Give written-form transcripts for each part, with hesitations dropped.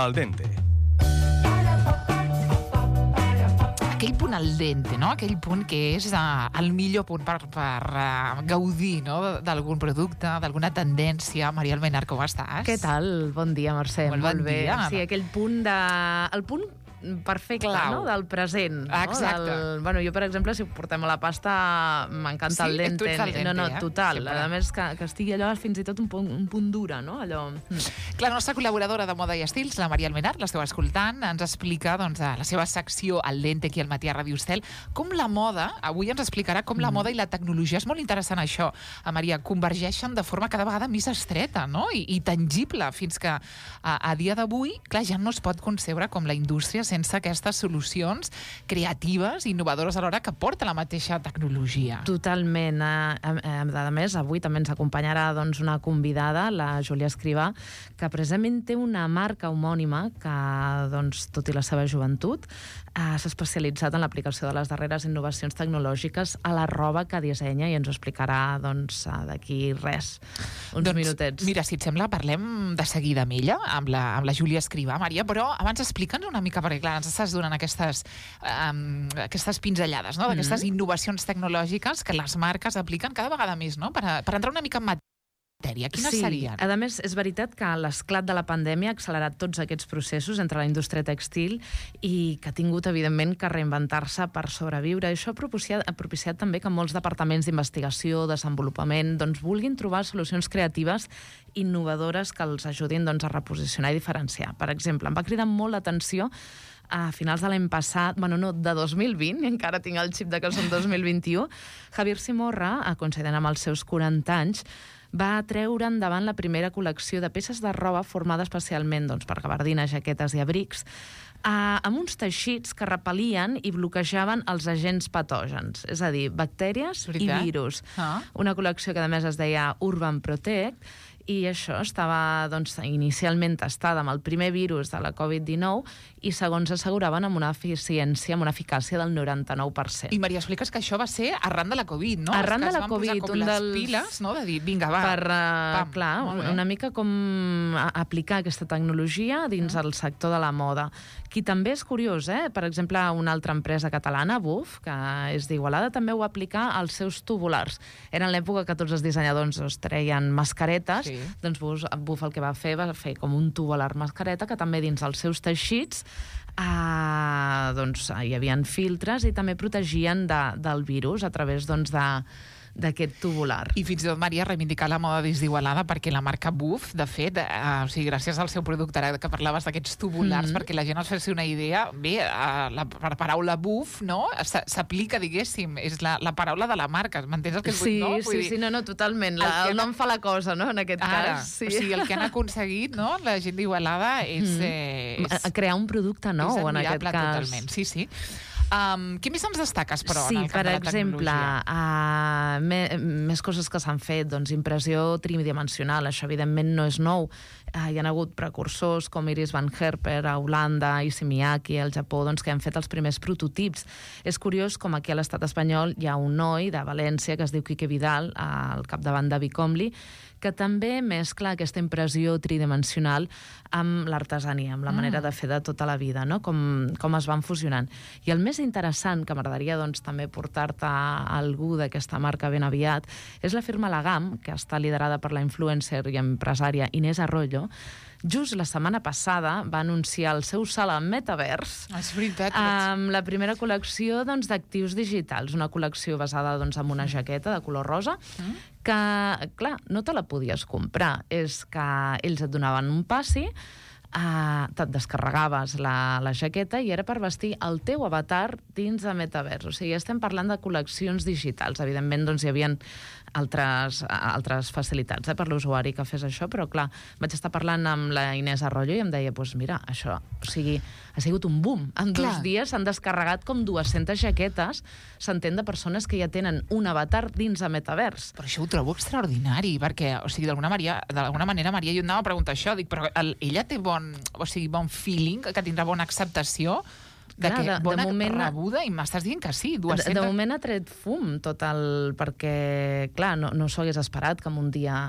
Al dente. Aquell punt al dente, no? Aquell punt que és el millor punt per gaudir, no? D'algun producte, d'alguna tendència. Maria Almenar, com estàs? Què tal? Bon dia, Mercè. Molt bon dia. Sí, aquell punt el punt perfecte, clau, no? Del present. Exacte. No? Jo, per exemple, si ho portem a la pasta, m'encanta el dente. Tu ets el dente, total. Sempre. A més, que estigui allò fins i tot un punt dura, no? Allò... La nostra col·laboradora de moda i estils, la Maria Almenar, l'esteu escoltant, ens explica doncs, a la seva secció Al dente aquí al matí a Ràdio Estel, com la moda, avui ens explicarà com la moda i la tecnologia, és molt interessant això, a Maria, convergeixen de forma cada vegada més estreta, no? I tangible, fins que a dia d'avui, clar, ja no es pot concebre com la indústria sense aquestes solucions creatives i innovadores alhora que porta la mateixa tecnologia. Totalment. A més, avui també ens acompanyarà doncs, una convidada, la Júlia Escrivà, que precisament té una marca homònima que, doncs, tot i la seva joventut, s'ha especialitzat en l'aplicació de les darreres innovacions tecnològiques a la roba que dissenya i ens ho explicarà doncs, d'aquí uns minutets. Mira, si et sembla, parlem de seguida amb ella, amb la Júlia Escrivà, Maria, però abans explica'ns una mica, perquè clar, ens estàs donant aquestes pinzellades, no? D'aquestes innovacions tecnològiques que les marques apliquen cada vegada més, no? Per entrar una mica en matèria. Quines serien? A més, és veritat que l'esclat de la pandèmia ha accelerat tots aquests processos entre la indústria tèxtil i que ha tingut, evidentment, que reinventar-se per sobreviure. Això ha propiciat també que molts departaments d'investigació, desenvolupament, doncs, vulguin trobar solucions creatives innovadores que els ajudin doncs, a reposicionar i diferenciar. Per exemple, em va cridar molt l'atenció a finals de l'any passat, de 2020, encara tinc el xip de que som 2021, Javier Simorra, coincident amb els seus 40 anys, va treure endavant la primera col·lecció de peces de roba formada especialment per gabardines, jaquetes i abrics, amb uns teixits que repel·lien i bloquejaven els agents patògens, és a dir, bactèries i virus. Una col·lecció que a més es deia Urban Protect, i això estava inicialment testada amb el primer virus de la Covid-19 i segons asseguraven amb una eficiència, amb una eficàcia del 99%. I Maria, expliques que això va ser arran de la Covid, no? Arran de la Covid, un dels piles, no? De dir, vinga, va. Una mica com aplicar aquesta tecnologia dins el sector de la moda. Qui també és curiós, per exemple, una altra empresa catalana, Buf, que és d'Igualada, també ho va aplicar als seus tubulars. Era en l'època que tots els dissenyadors es treien mascaretes, doncs Buf el que va fer com un tubular mascareta que també dins els seus teixits hi havia filtres i també protegien del virus a través d'aquest tubular. I fins i tot, Maria, reivindicar la moda des d'Igualada perquè la marca Buf, de fet, gràcies al seu producte, ara que parlaves d'aquests tubulars, perquè la gent es faci una idea, bé, la paraula Buf, no?, s'aplica, diguéssim, és la paraula de la marca, m'entens el que vull dir? Sí, totalment, el nom fa la cosa, no?, en aquest cas. O sigui, el que han aconseguit, no?, la gent d'Igualada és... crear un producte nou, en aquest cas. Totalment, sí. Què més ens destaques, però, en el camp de la tecnologia? Per exemple, més coses que s'han fet, impressió tridimensional, això evidentment no és nou. Hi ha hagut precursors com Iris Van Herper a Holanda i Miyake al Japó que han fet els primers prototips. És curiós com aquí a l'estat espanyol hi ha un noi de València que es diu Quique Vidal, al capdavant de Bicomli, que també mescla aquesta impressió tridimensional amb l'artesania, amb la manera de fer de tota la vida, no? Com es van fusionant. I el més interessant, que m'agradaria també portar-te a algú d'aquesta marca ben aviat, és la firma Lagam, que està liderada per la influencer i empresària Inés Arroyo. Just la setmana passada va anunciar el seu salt al metavers amb la primera col·lecció d'actius digitals, una col·lecció basada en una jaqueta de color rosa que, clar, no te la podies comprar. És que ells et donaven un passi, te't descarregaves la jaqueta i era per vestir el teu avatar dins de metavers. O sigui, estem parlant de col·leccions digitals. Evidentment, hi havia altres facilitats per l'usuari que fes això, però clar, vaig estar parlant amb la Inés Arroyo i em deia, mira, això, ha sigut un boom. En 2 dies s'han descarregat com 200 jaquetes, s'entén, de persones que ja tenen un avatar dins de metavers. Però això ho trobo extraordinari, perquè, d'alguna manera, Maria, jo anava a preguntar això, dic, però ella té bon feeling, que tindrà bona acceptació Bona rebuda, i m'estàs dient que sí, 200... De moment ha tret fum tot perquè, clar, no s'ho hagués esperat que en un dia...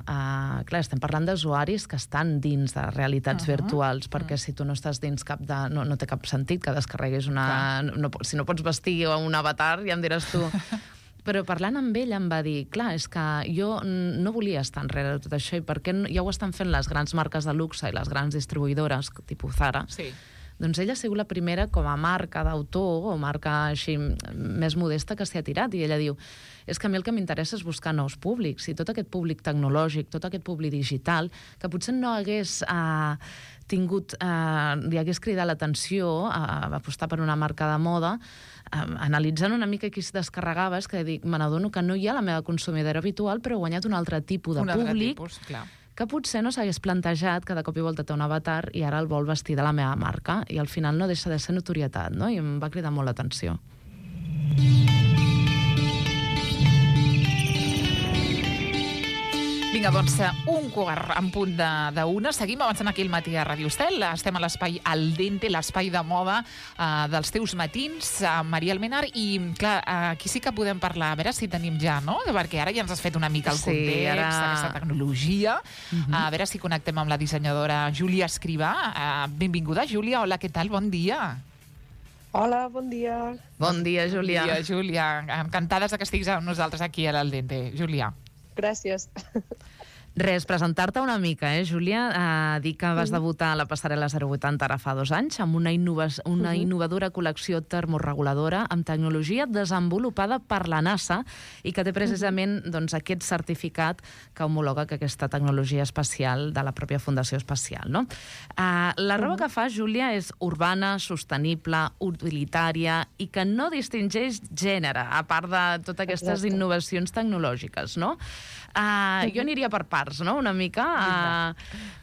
Clar, estem parlant d'usuaris que estan dins de realitats virtuals, perquè si tu no estàs dins cap de... No té cap sentit que descarreguis una... Si no pots vestir un avatar, ja em diràs tu... Però parlant amb ell em va dir, clar, és que jo no volia estar enrere de tot això i perquè ja ho estan fent les grans marques de luxe i les grans distribuïdores, tipus Zara, doncs ella ha sigut la primera com a marca d'autor o marca així més modesta que s'hi ha tirat. I ella diu, és que a mi el que m'interessa és buscar nous públics i tot aquest públic tecnològic, tot aquest públic digital, que potser no hagués li hagués cridat l'atenció a apostar per una marca de moda, analitzant una mica qui es descarregava, és que dic, me n'adono que no hi ha la meva consumidora habitual, però he guanyat un altre tipus de públic que potser no s'hagués plantejat que de cop i volta té un avatar i ara el vol vestir de la meva marca, i al final no deixa de ser notorietat, no? I em va cridar molt l'atenció. Vinga, doncs, un quart en punt d'una. Seguim avançant aquí al matí a Ràdio Estel. Estem a l'espai Al Dente, l'espai de moda dels teus matins, Maria Almenar, i clar, aquí sí que podem parlar, a veure si tenim ja, no? Perquè ara ja ens has fet una mica el context d'aquesta tecnologia. A veure si connectem amb la dissenyadora Júlia Escrivà. Benvinguda, Júlia. Hola, què tal? Bon dia. Hola, bon dia. Bon dia, Júlia. Bon dia, Júlia. Encantades que estiguis amb nosaltres aquí a l'Al Dente, Júlia. Gràcies. Res, presentar-te una mica, Júlia? Dir que vas debutar a la passarel·la 080 ara fa 2 anys amb una innovadora col·lecció termoreguladora amb tecnologia desenvolupada per la NASA i que té precisament aquest certificat que homologa que aquesta tecnologia espacial de la pròpia Fundació Espacial, no? La roba que fa, Júlia, és urbana, sostenible, utilitària i que no distingeix gènere, a part de totes aquestes innovacions tecnològiques, no? Jo aniria per parts, no?, una mica.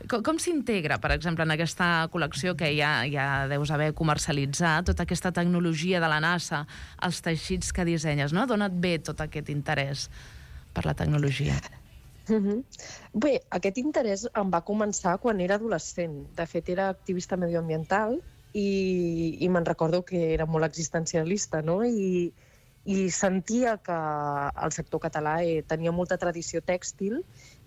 Com s'integra, per exemple, en aquesta col·lecció que ja deus haver comercialitzat, tota aquesta tecnologia de la NASA, els teixits que dissenyes, no? D'on et ve tot aquest interès per la tecnologia? Bé, aquest interès em va començar quan era adolescent. De fet, era activista medioambiental i me'n recordo que era molt existencialista, no?, i sentia que el sector català tenia molta tradició tèxtil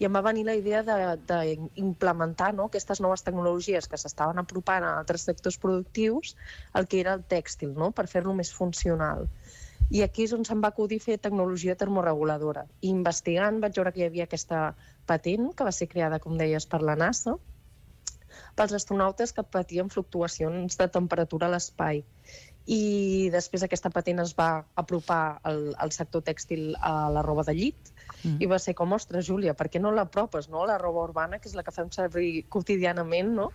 i em va venir la idea d'implementar aquestes noves tecnologies que s'estaven apropant a altres sectors productius, el que era el tèxtil, per fer-lo més funcional. I aquí és on se'm va acudir fer tecnologia termoreguladora. I investigant vaig veure que hi havia aquesta patent que va ser creada, com deies, per la NASA, pels astronautes que patien fluctuacions de temperatura a l'espai. I després aquesta patent es va apropar al sector tèxtil a la roba de llit i va ser com, ostres, Júlia, per què no l'apropes, no?, la roba urbana, que és la que fem servir quotidianament, no?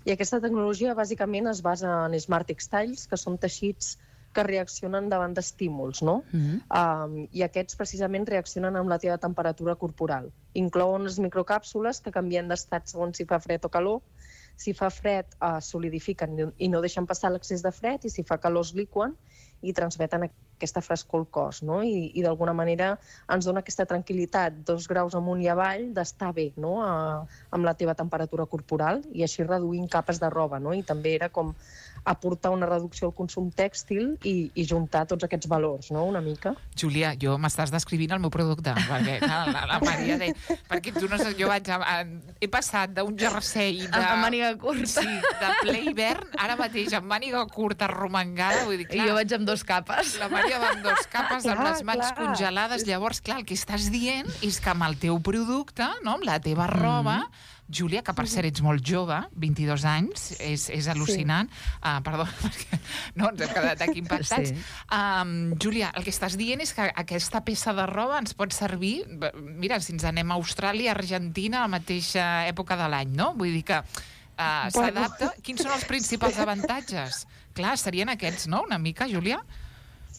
I aquesta tecnologia bàsicament es basa en Smart Textiles, que són teixits que reaccionen davant d'estímuls, no? I aquests precisament reaccionen amb la teva temperatura corporal. Inclouen unes microcàpsules que canvien d'estat segons si fa fred o calor. Si fa fred, solidifiquen i no deixen passar l'excés de fred, i si fa calor es liquen i transmeten aquesta frescor al cos, no? I d'alguna manera ens dona aquesta tranquil·litat, 2 graus amunt i avall, d'estar bé, no?, amb la teva temperatura corporal, i així reduint capes de roba, no? I també era com aportar una reducció al consum tèxtil i juntar tots aquests valors, no?, una mica. Júlia, jo m'estàs descrivint el meu producte, perquè la Maria deia... Perquè tu no saps, jo he passat d'un jersei de... Amb màniga curta. Sí, de ple hivern, ara mateix amb màniga curta arromangada, vull dir, clar... I jo vaig amb 2 capes. La Maria va amb 2 capes, amb les mans congelades. Llavors, clar, el que estàs dient és que amb el teu producte, no?, amb la teva roba... Júlia, que per cert ets molt jove, 22 anys, és al·lucinant. Perdó, perquè no, ens hem quedat aquí impactats. Júlia, el que estàs dient és que aquesta peça de roba ens pot servir, mira, si ens anem a Austràlia, Argentina, a la mateixa època de l'any, no? Vull dir que s'adapta. Quins són els principals avantatges? Clar, serien aquests, no?, una mica, Júlia?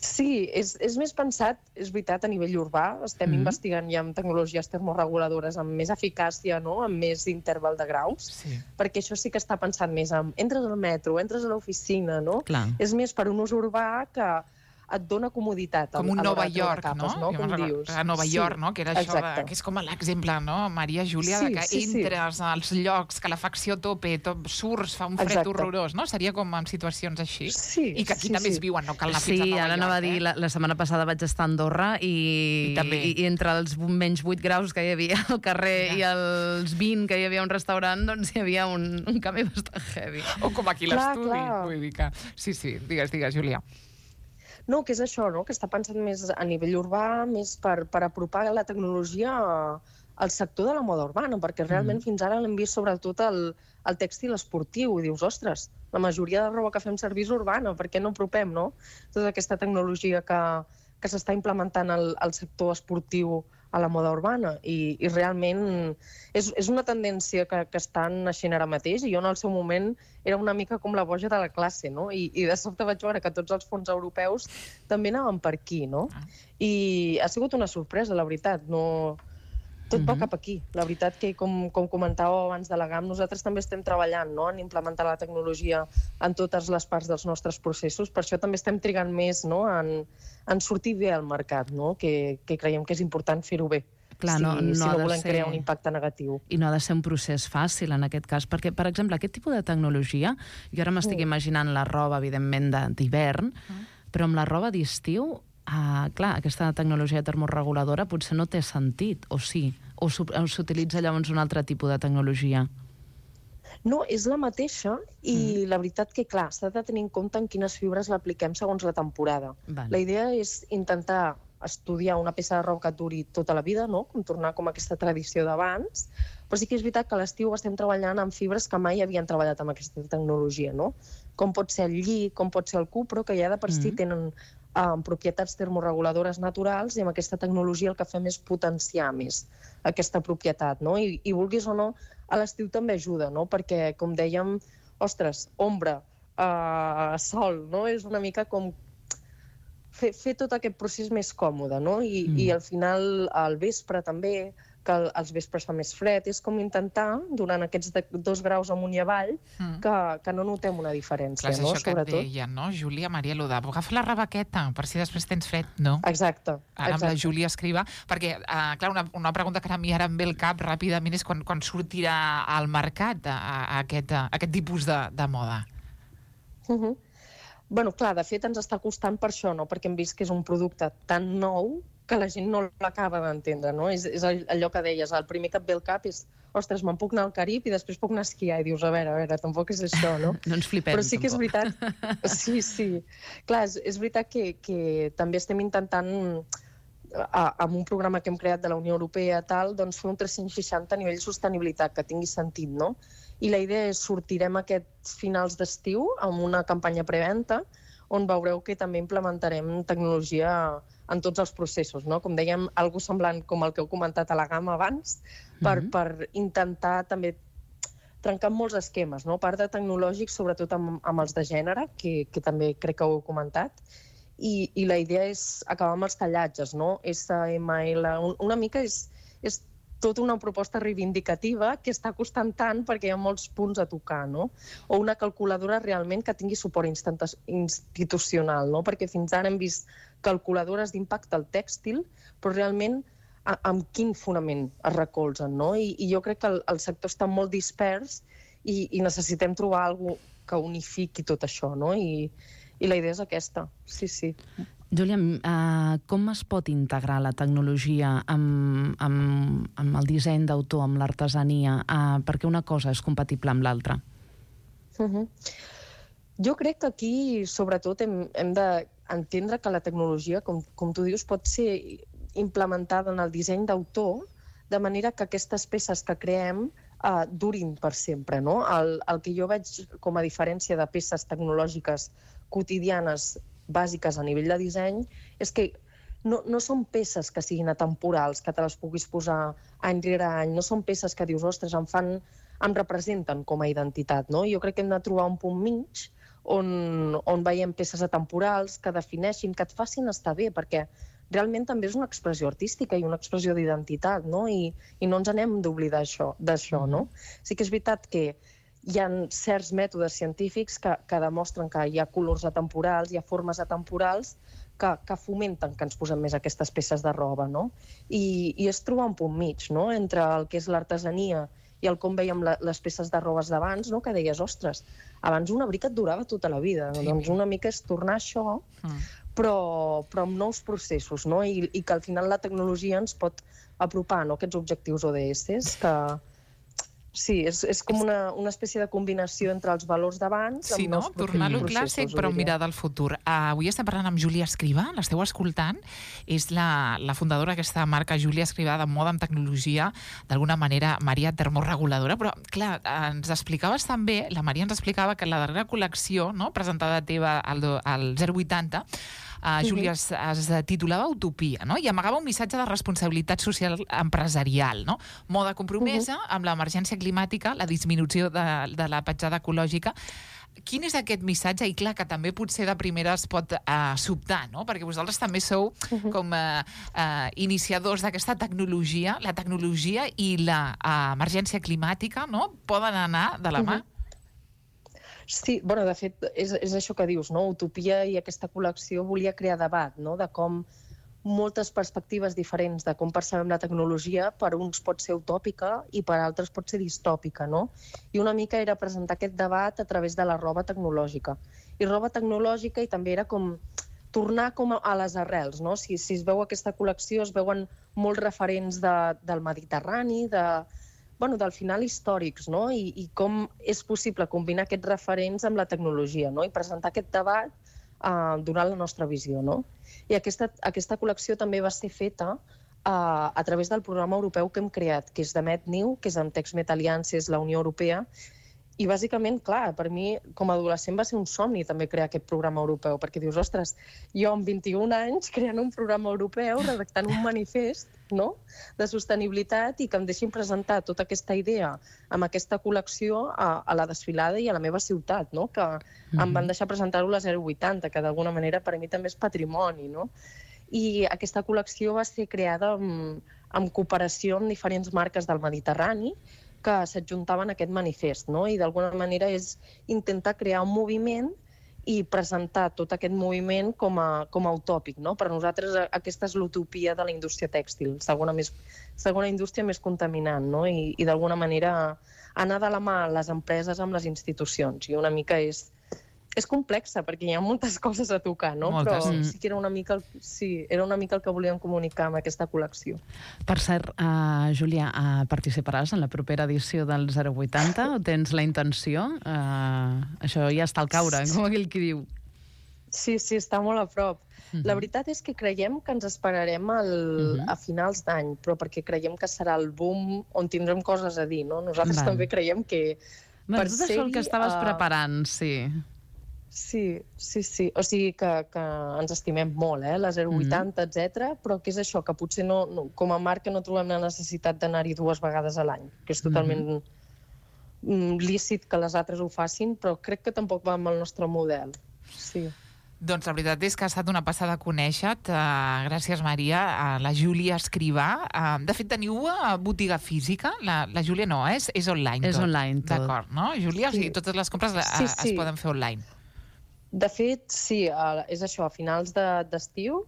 Sí, és més pensat, és veritat, a nivell urbà. Estem investigant ja amb tecnologies termoreguladores amb més eficàcia, no?, amb més interval de graus, perquè això sí que està pensant més en entres al metro, entres a l'oficina, no? És més per un ús urbà que et dona comoditat. Com un Nova York, capes, no? Com dius. A Nova York, no? Que era això, que és com l'exemple, no? Maria Júlia, que entres als llocs, calefacció a tope, surts, fa un fred horrorós, no? Seria com en situacions així. I que aquí també es viuen, no cal anar fins a Nova York. Sí, ara anava a dir, la setmana passada vaig estar a Andorra i entre els menys 8 graus que hi havia al carrer i els 20 que hi havia un restaurant, doncs hi havia un canvi bastant heavy. O com aquí l'estudi. Vull dir que... Sí, digues, Júlia. No, que és això, no? Que està pensant més a nivell urbà, més per apropar la tecnologia al sector de la moda urbana, perquè realment fins ara l'hem vist sobretot el tèxtil esportiu, i dius, ostres, la majoria de roba que fem servir és urbana, per què no apropem, no? Tota aquesta tecnologia que s'està implementant al sector esportiu a la moda urbana, i realment és una tendència que està naixent ara mateix, i jo en el seu moment era una mica com la boja de la classe, no? I de sobte vaig veure que tots els fons europeus també anaven per aquí, no? I ha sigut una sorpresa, la veritat, no... Tot va cap aquí. La veritat que, com comentàveu abans de la GAM, nosaltres també estem treballant, no?, en implementar la tecnologia en totes les parts dels nostres processos. Per això també estem trigant més, no?, en sortir bé al mercat, no?, que creiem que és important fer-ho bé. Clar, si no volem crear un impacte negatiu. I no ha de ser un procés fàcil en aquest cas, perquè, per exemple, aquest tipus de tecnologia, jo ara m'estic imaginant la roba, evidentment, d'hivern, però amb la roba d'estiu, clar, aquesta tecnologia termoreguladora potser no té sentit, o sí? O s'utilitza llavors un altre tipus de tecnologia? No, és la mateixa, i la veritat que, clar, s'ha de tenir en compte en quines fibres l'apliquem segons la temporada. La idea és intentar estudiar una peça de roba que duri tota la vida, no?, com tornar com aquesta tradició d'abans, però sí que és veritat que a l'estiu estem treballant amb fibres que mai havien treballat amb aquesta tecnologia, no? Com pot ser el lli, com pot ser el cupro, que ja de per si tenen propietats termoreguladores naturals, i amb aquesta tecnologia el que fem és potenciar més aquesta propietat, no? I vulguis o no, a l'estiu també ajuda, no? Perquè, com dèiem, ostres, ombra, sol, no? És una mica com fer tot aquest procés més còmode, no? I al final, al vespre també, que als vespres fa més fred, és com intentar, durant aquests 2 graus amunt i avall, que no notem una diferència, no? Sobretot. És això que et deia, no, Júlia, Maria Lodà, agafa la rebaqueta, per si després tens fred, no? Exacte. Ara amb la Júlia Escrivà, perquè, clar, una pregunta que a mi ara em ve al cap ràpidament és quan sortirà al mercat aquest tipus de moda. Bueno, clar, de fet ens està costant per això, no? Perquè hem vist que és un producte tan nou que la gent no l'acaba d'entendre, no? És allò que deies, el primer que et ve al cap és, ostres, me'n puc anar al Carib i després puc anar a esquiar, i dius, a veure, tampoc és això, no? No ens flipem, però sí que és veritat, sí. Clar, és veritat que també estem intentant, amb un programa que hem creat de la Unió Europea, doncs fer un 360 a nivell sostenibilitat, que tingui sentit, no? I la idea és sortirem aquests finals d'estiu amb una campanya preventa, on veureu que també implementarem tecnologia en tots els processos, no? Com dèiem, algo semblant com el que heu comentat a la GAM abans, per intentar també trencar molts esquemes, no? A part de tecnològics, sobretot amb els de gènere, que també crec que ho heu comentat, i la idea és acabar amb els tallatges, no? SML, una mica és tota una proposta reivindicativa que està costant tant perquè hi ha molts punts a tocar, no? O una calculadora realment que tingui suport institucional, no? Perquè fins ara hem vist calculadores d'impacte al tèxtil, però realment amb quin fonament es recolzen, no? I jo crec que el sector està molt dispers i necessitem trobar alguna cosa que unifiqui tot això, no? I la idea és aquesta, sí. Júlia, com es pot integrar la tecnologia amb el disseny d'autor, amb l'artesania, perquè una cosa és compatible amb l'altra? Jo crec que aquí, sobretot, hem d'entendre que la tecnologia, com tu dius, pot ser implementada en el disseny d'autor, de manera que aquestes peces que creem durin per sempre, no? El que jo veig com a diferència de peces tecnològiques quotidianes bàsiques a nivell de disseny és que no són peces que siguin atemporals, que te les puguis posar any rere any, no són peces que dius, ostres, em representen com a identitat, no? Jo crec que hem de trobar un punt mig on veiem peces atemporals que defineixin, que et facin estar bé, perquè realment també és una expressió artística i una expressió d'identitat, no? I no ens anem d'oblidar d'això, no? Sí que és veritat que hi ha certs mètodes científics que demostren que hi ha colors atemporals, hi ha formes atemporals que fomenten que ens posem més aquestes peces de roba, no? I és trobar un punt mig, no?, entre el que és l'artesania i el com veiem les peces de robes d'abans, no?, que deies, ostres, abans un abric et durava tota la vida. Sí. Doncs una mica és tornar a això, però amb nous processos, no? I que al final la tecnologia ens pot apropar, no?, aquests objectius ODS, que sí, és com una espècie de combinació entre els valors d'abans amb nous processos. Tornar-lo clàssic, però mirar del futur. Avui estem parlant amb Júlia Escrivà, l'esteu escoltant, és la fundadora d'aquesta marca Júlia Escrivà de moda amb tecnologia, d'alguna manera Maria termorreguladora, però clar, ens explicaves també, la Maria ens explicava que la darrera col·lecció, no?, presentada teva al 080, Júlia, es titulava Utopia, no?, i amagava un missatge de responsabilitat social empresarial, no? Moda compromesa amb l'emergència climàtica, la disminució de la petjada ecològica. Quin és aquest missatge? I clar, que també potser de primera es pot sobtar, no?, perquè vosaltres també sou com iniciadors d'aquesta tecnologia. La tecnologia i l'emergència climàtica, no?, poden anar de la mà. Sí, bueno, de fet, és això que dius, no? Utopia i aquesta col·lecció volia crear debat, no?, de com moltes perspectives diferents de com percebem la tecnologia, per uns pot ser utòpica i per altres pot ser distòpica, no? I una mica era presentar aquest debat a través de la roba tecnològica. I roba tecnològica i també era com tornar com a les arrels, no? Si es veu aquesta col·lecció, es veuen molts referents del Mediterrani, del final històrics, no? I com és possible combinar aquests referents amb la tecnologia, no? I presentar aquest debat donant la nostra visió, no? I aquesta col·lecció també va ser feta a través del programa europeu que hem creat, que és de MedNew, que és amb Texmet Alliances, la Unió Europea. I bàsicament, clar, per mi, com a adolescent, va ser un somni també crear aquest programa europeu, perquè dius, ostres, jo amb 21 anys creant un programa europeu, redactant un manifest, no?, de sostenibilitat i que em deixin presentar tota aquesta idea amb aquesta col·lecció a la desfilada i a la meva ciutat, no?, que em van deixar presentar-ho a la 080, que d'alguna manera per a mi també és patrimoni, no? I aquesta col·lecció va ser creada en cooperació amb diferents marques del Mediterrani que s'adjuntaven a aquest manifest, no? I d'alguna manera és intentar crear un moviment i presentar tot aquest moviment com a utòpic, no? Per nosaltres aquesta és l'utopia de la indústria tèxtil, segona indústria més contaminant, no? I d'alguna manera anar de la mà les empreses amb les institucions. I una mica és complexa, perquè hi ha moltes coses a tocar, no? Moltes. Però sí que era una mica el que volíem comunicar amb aquesta col·lecció. Per cert, Júlia, participaràs en la propera edició del 080 o tens la intenció? Això ja està al caure, com aquell qui diu. Sí, està molt a prop. La veritat és que creiem que ens esperarem a finals d'any, però perquè creiem que serà el boom on tindrem coses a dir, no? Nosaltres també creiem que... Tot això el que estaves preparant, sí. Sí. O sigui que ens estimem molt, la 080, etc. Però que és això, que potser com a marca no trobem la necessitat d'anar-hi 2 vegades a l'any, que és totalment lícit que les altres ho facin, però crec que tampoc va amb el nostre model. Sí. Doncs la veritat és que ha estat una passada conèixer-te. Gràcies, Maria. La Júlia Escrivà. De fet, teniu botiga física? La Júlia no, és online tot. És online tot. D'acord, no, Júlia? O sigui, totes les compres es poden fer online. De fet, sí, és això, a finals d'estiu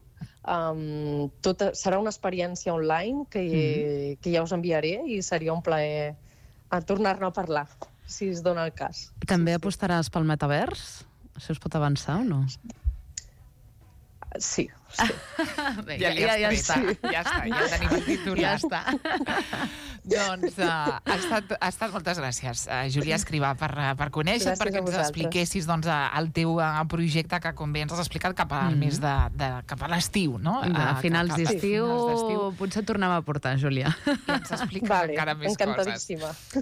serà una experiència online que ja us enviaré i seria un plaer tornar-ne a parlar, si es dona el cas. També apostaràs pel metavers? Això es pot avançar o no? Sí. Bé, ja està, ja tenim el titular. Ja està. Doncs ha estat moltes gràcies, Júlia Escrivà, per conèixer, perquè ens expliquessis el teu projecte, que com bé ens has explicat, cap al mes cap a l'estiu, no? A finals d'estiu potser tornem a portar, Júlia. I ens expliques encara més coses.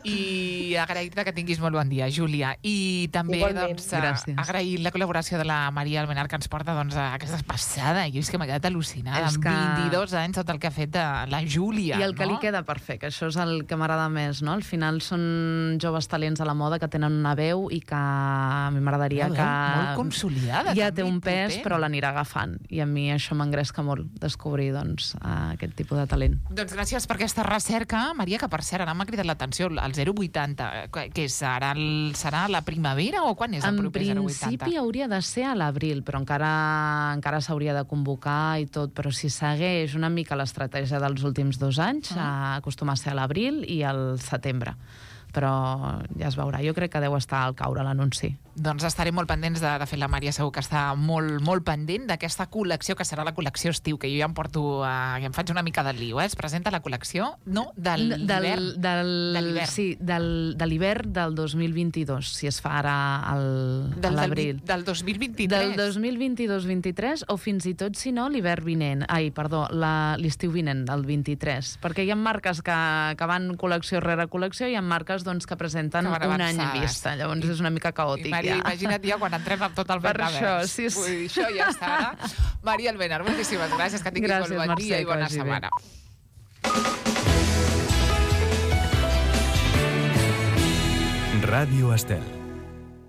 I agrair-te que tinguis molt bon dia, Júlia. I també agrair la col·laboració de la Maria Almenar, que ens porta aquesta passada. Jo és que m'ha quedat al·lucinada. Amb 22 anys, tot el que ha fet la Júlia. I el que li queda per fer, que això és el que m'agrada més, no? Al final són joves talents a la moda que tenen una veu i que a mi m'agradaria que... Molt consolidada. Ja té un pes, però l'anirà agafant. I a mi això m'engresca molt, descobrir aquest tipus de talent. Doncs gràcies per aquesta recerca, Maria, que per cert, ara m'ha cridat l'atenció, el 080, que serà la primavera o quan és el proper 080? En principi hauria de ser a l'abril, però encara s'hauria de convocar i tot, però si segueix una mica l'estratègia dels últims 2 anys, acostuma a ser a l'abril i al setembre. Però ja es veurà. Jo crec que deu estar al caure l'anunci. Doncs estarem molt pendents. De fet, la Maria segur que està molt, molt pendent d'aquesta col·lecció, que serà la col·lecció estiu, que jo ja em porto... ja em faig una mica de lío, Es presenta la col·lecció, no? De l'hivern. Sí, de l'hivern del 2022, si es fa ara a l'abril. Del 2023? Del 2022-23, o fins i tot, si no, l'hivern vinent. L'estiu vinent, del 23. Perquè hi ha marques que van col·lecció rere col·lecció i hi ha marques que presenten un any vista. Llavors és una mica caòtic. Maria, imagina't ja quan entrem amb tot el metavers. Per això, sí. Vull dir, això ja està ara. Maria Almenar, moltíssimes gràcies, que tinguis molt bon dia i bona setmana. Ràdio Estel.